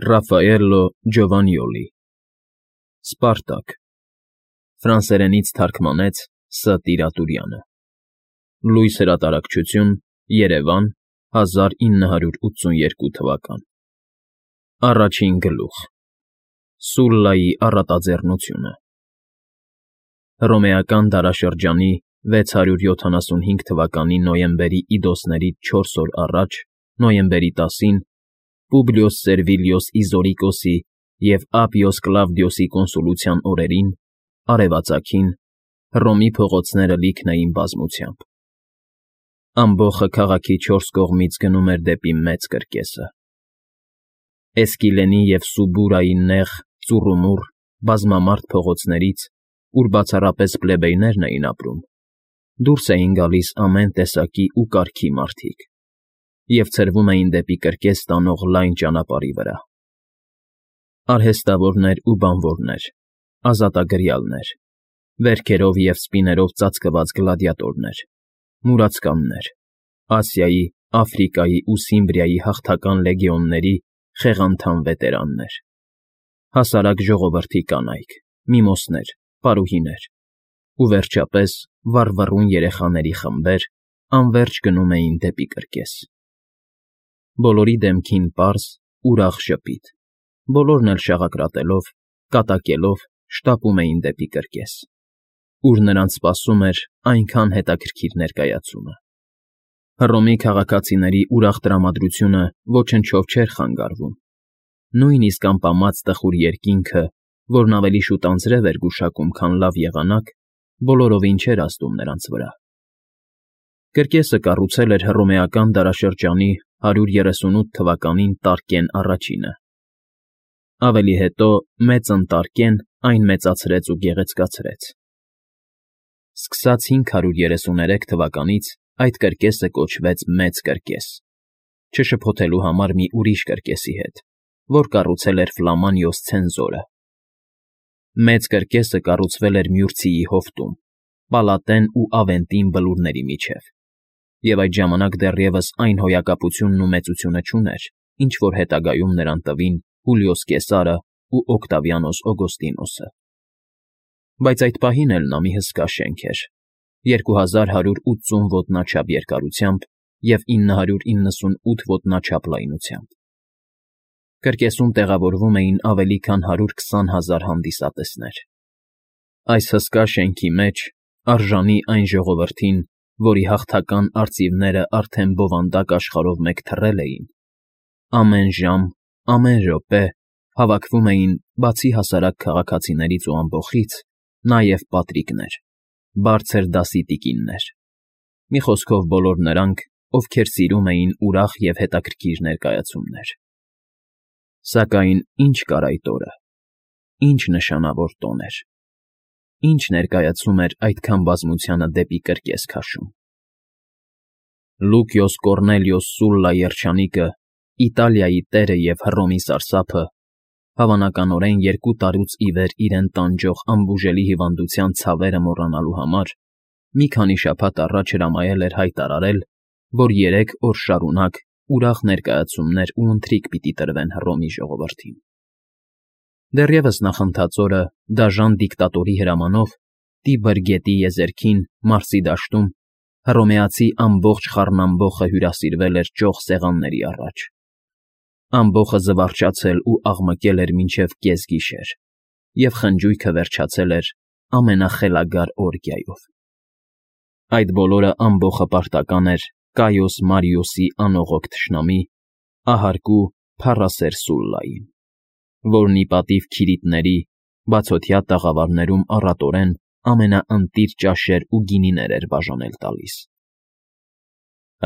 Ռաֆաելլո Ջովանյոլի Սպարտակ Ֆրանսերենից թարգմանեց Ս. Տիրատուրյանը Լույս հրատարակչություն Երևան 1982 թվական Առաջին գլուխ Սուլլայի առատաձեռնությունը Հռոմեական դարաշրջանի 675 թվականի նոյեմբերի իդոսներից 4 օր առաջ, նոյեմբերի 10-ին, Պուբլիոս Սերվիլիոս Իզորիկոսի և Ապիոս Կլավդիոսի կոնսուլության օրերին, արևածագին, Հռոմի փողոցները լիքն էին բազմությամբ։ Ամբոխը քաղաքի 4 կողմից գնում էր դեպի մեծ կրկեսը։ Էսկիլենի և Սուբուրայի նեղ, ծուռումուռ, բազմամարդ փողոցներից, ուր բացառապես պլեբեյներն էին ապրում, դուրս էին գալիս ամեն տեսակի ու կարգի մարդիկ և ցրվում էին դեպի կրկես տանող լայն ճանապարհի վրա. արհեստավորներ ու բանվորներ, ազատագրյալներ, վերքերով և սպիներով ծածկված գլադիատորներ, մուրացկաններ, Ասիայի, Աֆրիկայի ու Սիմբրիայի հաղթական լեգիոնների խեղանդամ վետերաններ, հասարակ ժողովրդի կանայք, միմոսներ, պարուհիներ ու, վերջապես, վառվռուն երեխաների խմբեր անվերջ գնում էին դեպի կրկես։ Բոլորի դեմքին պարզ, ուրախ ժպիտ, բոլորն էլ շաղակրատելով, կատակելով շտապում էին դեպի կրկես, ուր նրանց սպասում էր այնքան հետաքրքիր ներկայացումը։ Հռոմի քաղաքացիների ուրախ տրամադրությունը ոչնչով չէր խանգարվում, նույնիսկ ամպամած տխուր երկինքը, որն ավելի շուտ անձրև էր գուշակում, քան լավ եղանակ, բոլորովին չէր ազդում նրանց վրա։ Կրկեսը կառուցել էր հռոմեական դարաշրջանի 138 թվականին Տարկեն առաջինը։ Ավելի հետո Մեծն Տարկեն այն մեծացրեց ու գեղեցկացրեց։ Սկսած 533 թվականից այդ կրկեսը կոչվեց Մեծ կրկես, չշփոթելու համար մի ուրիշ կրկեսի հետ, որ կառուցել էր Ֆլամանիոս ցենզորը։ Մեծ կրկեսը կառուցվել էր Մյուրցիի հովտում, Պալատեն ու Ավենտին բլուրների միջև, և այդ ժամանակ դեռևս այն հոյակապությունն ու մեծությունը չուներ, ինչ որ հետագայում նրան տվին Հուլիոս Կեսարը ու Օկտավիանոս Օգոստինոսը։ Բայց այդ պահին էլ նա մի հսկա շենք էր, 2180 ոտնաչափ երկարությամբ և 998 ոտնաչափ լայնությամբ։ Կրկեսում տեղավորվում էին ավելի քան 120 000 հանդիսատեսներ։ Այս հսկա շենքի մեջ, արժանի այն ժողովրդին, որի հաղթական արծիվները արդեն բովանդակ աշխարհով մեկ թռել էին, ամեն ժամ, ամեն րոպե հավաքվում էին, բացի հասարակ քաղաքացիներից ու ամբոխից, նաև պատրիկներ, բարձր դասի տիկիններ, մի խոսքով բոլոր նրանք, ովքեր սիրում էին ուրախ և հետաքրքիր ներկայացումներ։ Սակայն ինչ կար այդ օրը, ինչ նշանավոր տոն էր, ինչ ներկայացում էր այդքան բազմությանը դեպի կրկես քաշում։ Լուկիոս Կոռնելիոս Սուլլա երջանիկը, Իտալիայի տերը և Հռոմի սարսափը, հավանականորեն 2 տարուց ի վեր իրեն տանջող անբուժելի հիվանդության ցավերը մոռանալու համար, մի քանի շաբաթ առաջ հրամայել էր հայտարարել, որ 3 օր շարունակ ուրախ ներկայացումներ ու ընթրիք պիտի տրվեն Հռոմի ժողովրդին։ Դեռևս նախընթաց օրը դաժան դիկտատորի հրամանով Տիբր գետի եզերքին, Մարսի դաշտում, հռոմեացի ամբողջ խառնամբոխը հյուրասիրվել էր ճոխ սեղանների առաջ։ Ամբոխը զվարճացել ու աղմկել էր մինչև կեսգիշեր, և խնջույքը վերջացել էր ամենախելագար օրգիայով։ Այդ բոլորը ամբոխը պարտական էր Կայոս Մարիոսի անողոք թշնամի, ահարկու փառասեր Սուլլային, որն ի պատիվ Քիրիտների, բացօթյա տաղավարներում առատորեն ամենաընտիր ճաշեր ու գինիներ էր բաժանել տալիս։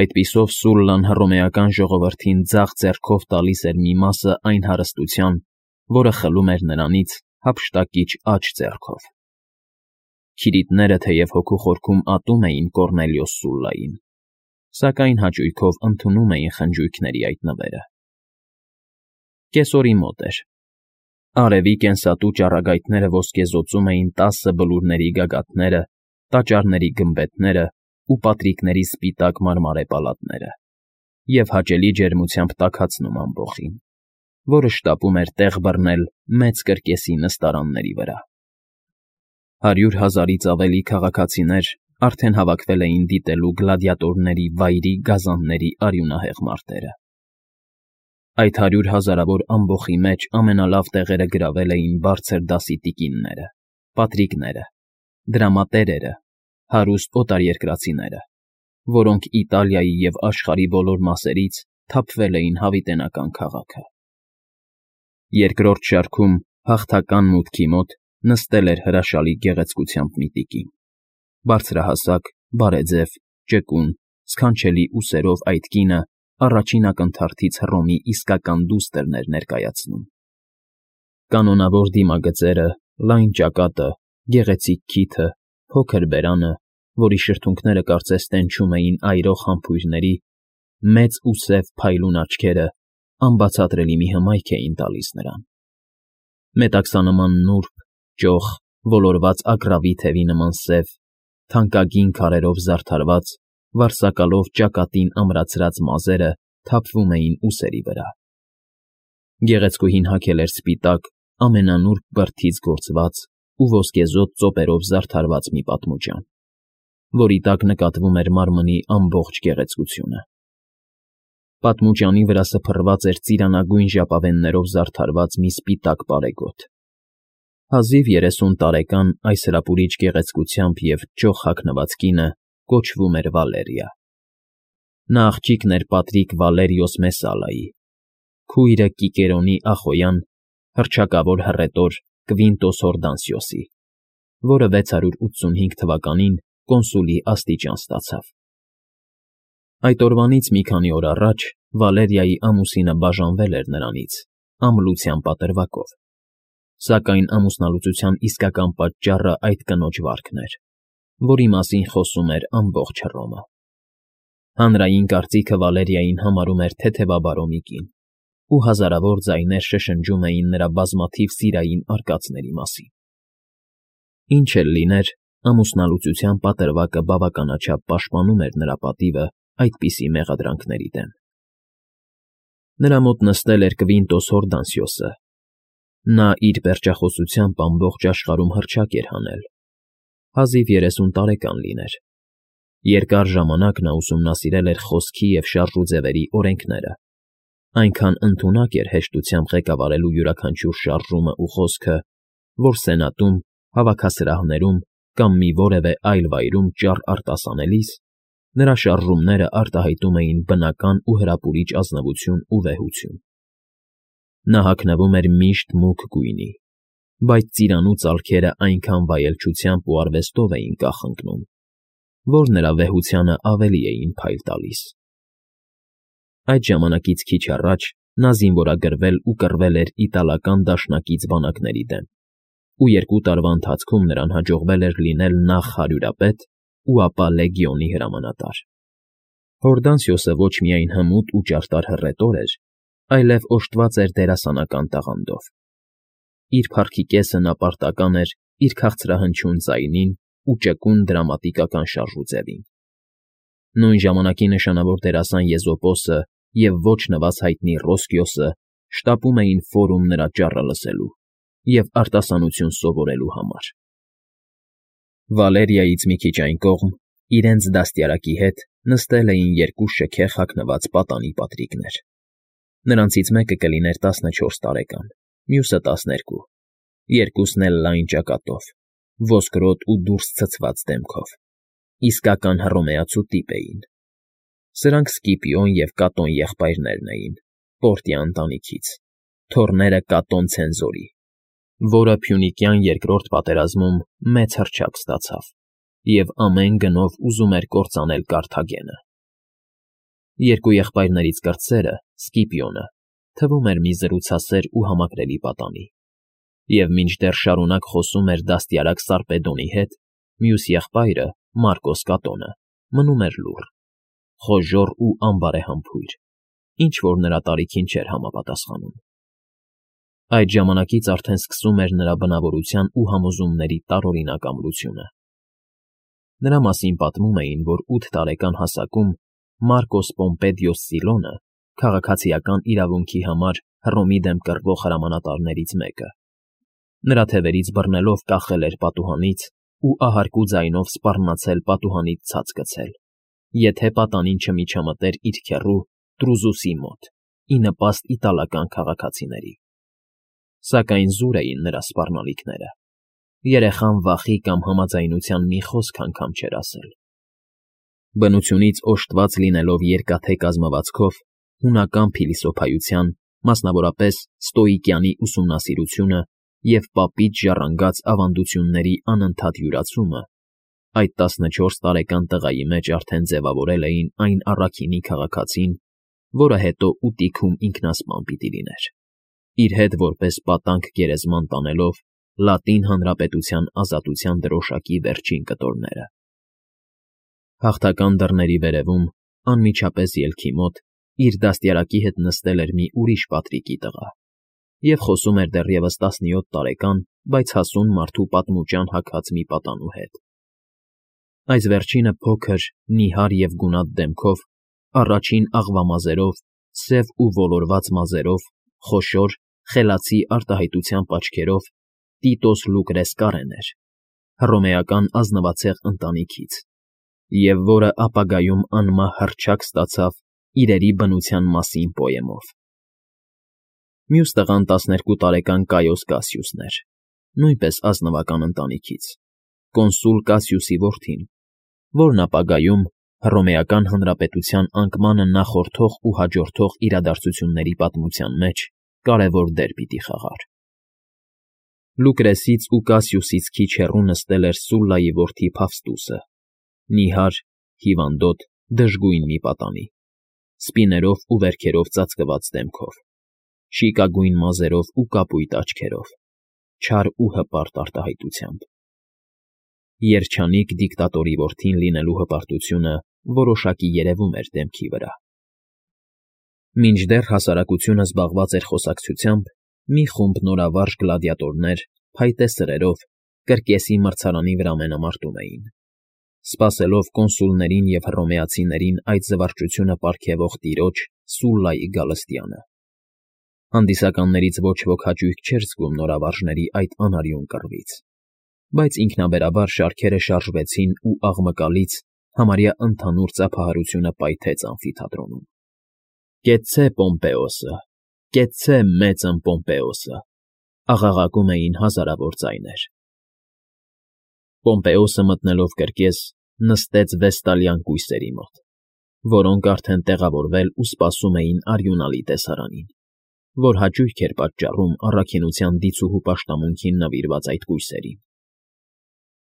Այդպիսով Սուլլան հռոմեական ժողովրդին ձախ ձեռքով տալիս էր մի մասը այն հարստության, որը խլում էր նրանից հափշտակիչ աջ ձեռքով։ Քիրիտները թեև հոգու խորքում ատում էին Կոռնելիոս Սուլլային, սակայն հաճույքով ընդունում էին խնջույքների այդ նվերը։ Կեսօրի մոտ էր։ Արևի կենսատու ճառագայթները ոսկեզօծում էին 10 բլուրների գագաթները, տաճարների գմբեթները ու պատրիկների սպիտակ մարմարե պալատները և հաճելի ջերմությամբ տաքացնում ամբոխին։ որը շտապում էր տեղ բռնել մեծ կրկեսի նստարանների վրա։ 100,000-ից ավելի քաղաքացիներ արդեն հավաքվել էին դիտելու գլադիատորների վայրի գազանների արյունահեղ մարտերը։ Այդ 100,000-ավոր ամբոխի մեջ ամենալավ տեղերը գրավել էին բարձր դասի տիկինները, պատրիկները, դրամատերերը, հարուստ օտարերկրացիները, որոնք Իտալիայի և աշխարհի բոլոր մասերից թափվել էին հավիտենական քաղաքը։ Երկրորդ շարքում հաղթական մուտքի մոտ նստել էր հրաշալի գեղեցկությամբ մի տիկին։ Բարձրահասակ, բարեձև, ճկուն, սքանչելի ուսերով այդ կինը առաջին ակնթարթից Հռոմի իսկական դուստրն էր ներկայացնում։ Կանոնավոր դիմագծերը, լայն ճակատը, գեղեցիկ քիթը, փոքր բերանը, որի շրթունքները կարծես տենչում էին այրող համբույրների, մեծ ու սև փայլուն աչքերը անբացատրելի մի հմայք էին տալիս նրան։ Մետաքսանման նուրբ, ճոխ, ոլորված ագռավի թևի նման սև, թանկագին քարերով զարդարված, վարսակալով ճակատին ամրացրած մազերը թափվում էին ուսերի վրա։ Գեղեցկուհին հագել էր սպիտակ, ամենանուրբ բրդից գործված ու ոսկեզօծ ծոպերով զարդարված մի պատմուջան, որի տակ նկատվում էր մարմնի ամբողջ գեղեցկությունը։ Պատմուջանի վրա սփռված էր ծիրանագույն ժապավեններով զարդարված մի սպիտակ պարեգոտ։ Հազիվ 30 տարեկան այս հրապուրիչ գեղեցկությամբ և ճոխ հագնված կինը կոչվում էր Վալերիա։ Նա աղջիկն էր Պատրիկ Վալերիոս Մեսալայի, քույրը Կիկերոնի ախոյան, հռչակավոր հռետոր Կվինտոս Հորդանսիոսի, որը 685 թվականին կոնսուլի աստիճան ստացավ։ Այդ օրվանից մի քանի օր առաջ Վալերիայի ամուսինը բաժանվել էր նրանից ամլության պատրվակով, սակայն ամուսնալուծության իսկական պատճառը այդ կնոջ վարքն էր, որի մասին խոսում էր ամբողջ Հռոմը։ Հանրային կարծիքը Վալերիային համարում էր թեթևաբարո մի կին, ու հազարավոր ձայներ շշնջում էին նրա բազմաթիվ սիրային արկածների մասին։ Ինչ էլ լիներ, ամուսնալուծության պատրվակը բավականաչափ պաշտպանում էր նրա պատիվը այդպիսի մեղադրանքների դեմ։ Նրա մոտ նստել էր Կվինտոս Հորդանսիոսը։ Նա իր պերճախոսությամբ ամբողջ աշխարհում հռչակ էր հանել։ Հազիվ 30 տարեկան լիներ։ Երկար ժամանակ նա ուսումնասիրել էր խոսքի և շարժուձևերի օրենքները, այնքան ընդունակ էր հեշտությամբ ղեկավարելու յուրաքանչյուր շարժումը ու խոսքը, որ սենատում, հավաքասրահներում կամ մի որևէ այլ վայրում ճառ արտասանելիս նրա շարժումները արտահայտում էին բնական ու հրապուրիչ ազնվություն ու վեհություն։ Նա հագնվում էր միշտ մուգ գույնի, բայց ծիրանու ծալքերը այնքան վայելչությամբ ու արվեստով էին կախընկնում, որ նրա վեհությանը ավելի էին փայլ տալիս։ Այդ ժամանակից քիչ առաջ նա զինվորագրվել ու կռվել էր իտալական դաշնակից բանակների դեմ, ու 2 տարվա ընթացքում նրան հաջողվել էր լինել նախ հարյուրապետ ու ապա լեգիոնի հրամանատար։ Հորդանսիոսը ոչ միայն հմուտ ու ճարտար հռետոր էր, այլև օժտված էր դերասանական տաղանդով։ Իր փառքի կեսը նա պարտական էր իր քաղցրահնչյուն ձայնին ու ճկուն դրամատիկական շարժուձևին։ Նույն ժամանակի նշանավոր դերասան Եզոպոսը և ոչ նվազ հայտնի Ռոսկիոսը շտապում էին ֆորում նրա ճառը լսելու և արտասանություն սովորելու համար։ Վալերիայից մի քիչ այն կողմ, իրենց դաստիարակի հետ նստել էին 2 շքեղ հագնված պատանի պատրիկներ։ Նրանցից մեկը կլիներ 14 տարեկան, մյուսը 12, երկուսն էլ լայն ճակատով, ոսկրոտ ու դուրս ցցված դեմքով, իսկական հռոմեացու տիպ էին։ Սրանք Սկիպիոն և Կատոն եղբայրներն էին, Պորտիա ընտանիքից, թոռները Կատոն ցենզորի, որը Փյունիկյան երկրորդ պատերազմում մեծ հռչակ ստացավ և ամեն գնով ուզում էր կործանել Կարթագենը։ Երկու եղբայրներից կրտսերը, Սկիպիոնը, թվում էր մի զրուցասեր ու համակրելի պատանի, և մինչդեռ շարունակ խոսում էր դաստիարակ Սարպեդոնի հետ, մյուս եղբայրը, Մարկոս Կատոնը, մնում էր լուռ, խոժոռ ու անբարեհամբույր, ինչ֊որ նրա տարիքին չէր համապատասխանում։ Այդ ժամանակից արդեն սկսում էր նրա բնավորության ու համոզումների տարօրինակ ամրությունը։ Նրա մասին պատմում էին, որ 8 տարեկան հասակում Մարկոս Պոմպեդիոս Սիլոնը քաղաքացիական իրավունքի համար Հռոմի դեմ կռվող հրամանատարներից մեկը։ Նրա թևերից բռնելով կախել էր պատուհանից ու ահարկու ձայնով սպառնացել պատուհանից ցած գցել, եթե պատանին չմիջամտեր իր քեռու Դրուզուսի մոտ, ի նպաստ իտալական քաղաքացիների։ Սակայն զուր էին նրա սպառնալիքները։ Երեխան վախի կամ համաձայնության մի խոսք անգամ չէր ասել։ Բնությունից օժտված լինելով երկաթե կազմվածքով, հունական փիլիսոփայության, մասնավորապես ստոիկյանի ուսումնասիրությունը և պապից ժառանգած ավանդությունների անընդհատ յուրացումը, այդ 14 տարեկան տղայի մեջ արդեն ձևավորել էին այն առաքինի քաղաքացին, որը հետո ուտիքում ինքնասպան պիտի լիներ, իր հետ որպես պատանկ գերեզման տանելով Լատին Հանրապետության ազատության դրոշակի վերջին կտորները։ Հաղթական դռների վերևում, անմիջապես ելքի մոտ, իր դաստիարակի հետ նստել էր մի ուրիշ Պատրիկի տղա և խոսում էր դեռևս 17 տարեկան, բայց հասուն մարդու պատմուճան հագած մի պատանու հետ։ Այս վերջինը փոքր, նիհար և գունատ դեմքով, առաջին աղվամազերով, սև ու ոլորված մազերով, խոշոր, խելացի արտահայտությամբ աչքերով Տիտոս Լուկրես Կարեն էր, հռոմեական ազնվացեղ ընտանիքից, և որը ապագայում անմահ հռչակ ստացավ իրերի բնության մասին պոեմով։ Մյուս տղան 12 տարեկան Կայոս Կասիուսն էր, նույնպես ազնվական ընտանիքից, կոնսուլ Կասիուսի որդին, որն ապագայում Հռոմեական Հանրապետության անկմանը նախորդող ու հաջորդող իրադարձությունների պատմության մեջ կարևոր դեր պիտի խաղար։ Լուկրեսից ու Կասիուսից քիչ հեռու նստել էր Սուլլայի որդի Ֆավստուսը, նիհար, հիվանդոտ, դժգույն մի պատանի, սպիներով ու վերքերով ծածկված դեմքով, շիկագույն մազերով ու կապույտ աչքերով, չար ու հպարտ արտահայտությամբ։ Երջանիկ դիկտատորի որդին լինելու հպարտությունը որոշակի երևում էր դեմքի վրա։ Մինչդեռ հասարակությունը զբաղված էր խոսակցությամբ, մի խումբ նորավարժ գլադիատորներ, փայտե սրերով, կրկեսի մրցարանի վրա մենամարտում էին, սպասելով կոնսուլներին և հռոմեացիներին այդ զվարճությունը պարգևող տիրոջ Սուլլայի գալստյանը։ Հանդիսականներից ոչ ոք հաճույք չէր զգում նորավարժների այդ անարյուն կռվից, բայց ինքնաբերաբար շարքերը շարժվեցին ու աղմկալից համարյա ընդհանուր ծափահարությունը պայթեց ամֆիթատրոնում։ «Կեցցե Պոմպեոսը, կեցցե մեծն Պոմպեոսը», աղաղակում էին հազարավոր ձայներ։ Պոմպեոսը մտնելով կրկես, նստեց վեստալյան կույսերի մոտ, որոնք արդեն տեղավորվել ու սպասում էին արյունալի տեսարանին, որ հաճույք էր պատճառում առաքինության դիցուհու պաշտամունքին նվիրված այդ կույսերին։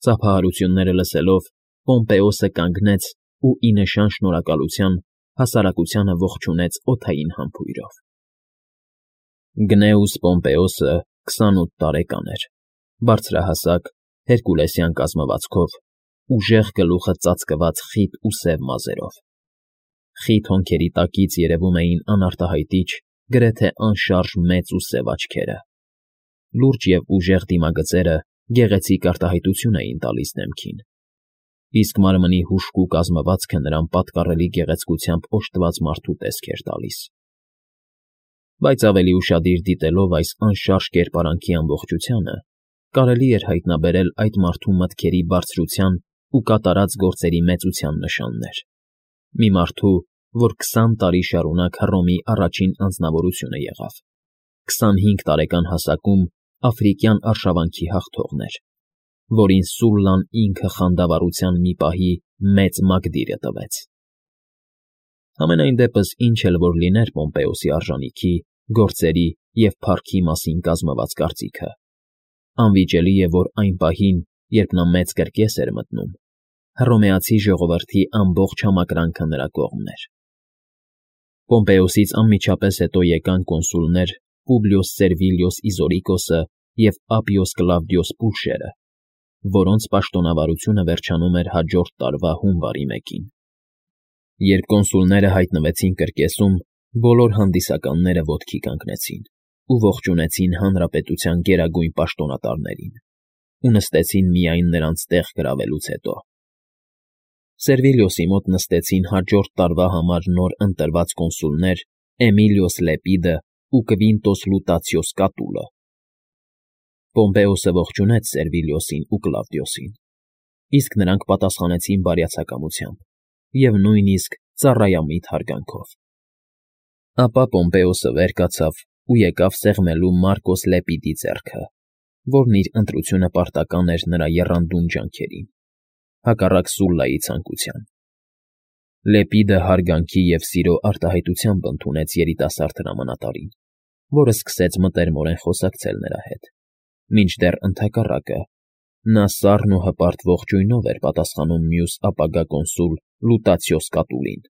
Ծափահարությունները լսելով, Պոմպեոսը կանգնեց ու ի նշան շնորհակալության հասարակությանը ողջունեց օդային համբույրով։ Գնեուս Պոմպեոսը 28 տարեկան էր, բարձրահասակ, հերկուլեսյան կազմվածքով, ուժեղ գլուխը ծածկված խիտ ու սև մազերով։ Խիտ հոնքերի տակից երևում էին անարտահայտիչ, գրեթե անշարժ մեծ ու սև աչքերը։ Լուրջ և ուժեղ դիմագծերը գեղեցիկ արտահայտություն էին տալիս դեմքին, իսկ մարմնի հուժկու կազմվածքը նրան պատկառելի գեղեցկությամբ օժտված մարդու տեսք էր տալիս։ Բայց ավելի ուշադիր դիտելով այս անշարժ կերպարանքի ամբողջությանը, կարելի էր հայտնաբերել այդ մարդու մտքերի բարձրության ու կատարած գործերի մեծության նշաններ։ Մի մարդու, որ 20 տարի շարունակ Հռոմի առաջին անձնավորությունը եղավ, 25 տարեկան հասակում աֆրիկյան արշավանքի հաղթողն էր, որին Սուլլան ինքը խանդավառության մի պահի մեծ մակդիրը տվեց։ Համենայն դեպս ինչ էլ որ լիներ Պոմպեոսի արժանիքի, գործերի և փառքի մասին կազմված կարծիքը, անվիճելի է, որ այն պահին, երբ նա մեծ կրկես էր մտնում, հռոմեացի ժողովրդի ամբողջ համակրանքը նրա կողմն էր։ Պոմպեոսից անմիջապես հետո եկան կոնսուլներ Պուբլիոս Սերվիլիոս Իզորիկոսը և Ապիոս Կլավդիոս Պուլշերը, որոնց պաշտոնավարությունը վերջանում էր հաջորդ տարվա հունվարի 1-ին։ Երբ կոնսուլները հայտնվեցին կրկեսում, բոլոր հանդիսականները ոտքի կանգնեցին ու ողջունեցին հանրապետության գերագույն պաշտոնատարներին ու նստեցին միայն նրանց տեղ գրավելուց հետո։ Սերվիլիոսի մոտ նստեցին հաջորդ տարվա համար նոր ընտրված կոնսուլներ Էմիլիոս Լեպիդը ու Կվինտոս Լուտացիոս Կատուլը։ Պոմպեոսը ողջունեց Սերվիլիոսին ու Կլավդիոսին, իսկ նրանք պատասխանեցին բարյացակամությամբ և նույնիսկ ծառայամիտ հարգանքով։ Ապա Պոմպեոսը վեր կացավ ու եկավ սեղմելու Մարկոս Լեպիդի ձեռքը, որն իր ընտրությունը պարտական էր նրա եռանդուն ջանքերին, հակառակ Սուլլայի ցանկության։ Լեպիդը հարգանքի և սիրո արտահայտությամբ ընդունեց երիտասարդ հրամանատարին, որը սկսեց մտերմորեն խոսակցել նրա հետ, մինչդեռ ընդհակառակը, նա սառն ու հպարտ ողջույնով էր պատասխանում մյուս ապագա կոնսուլ Լուտացիոս Կատուլին։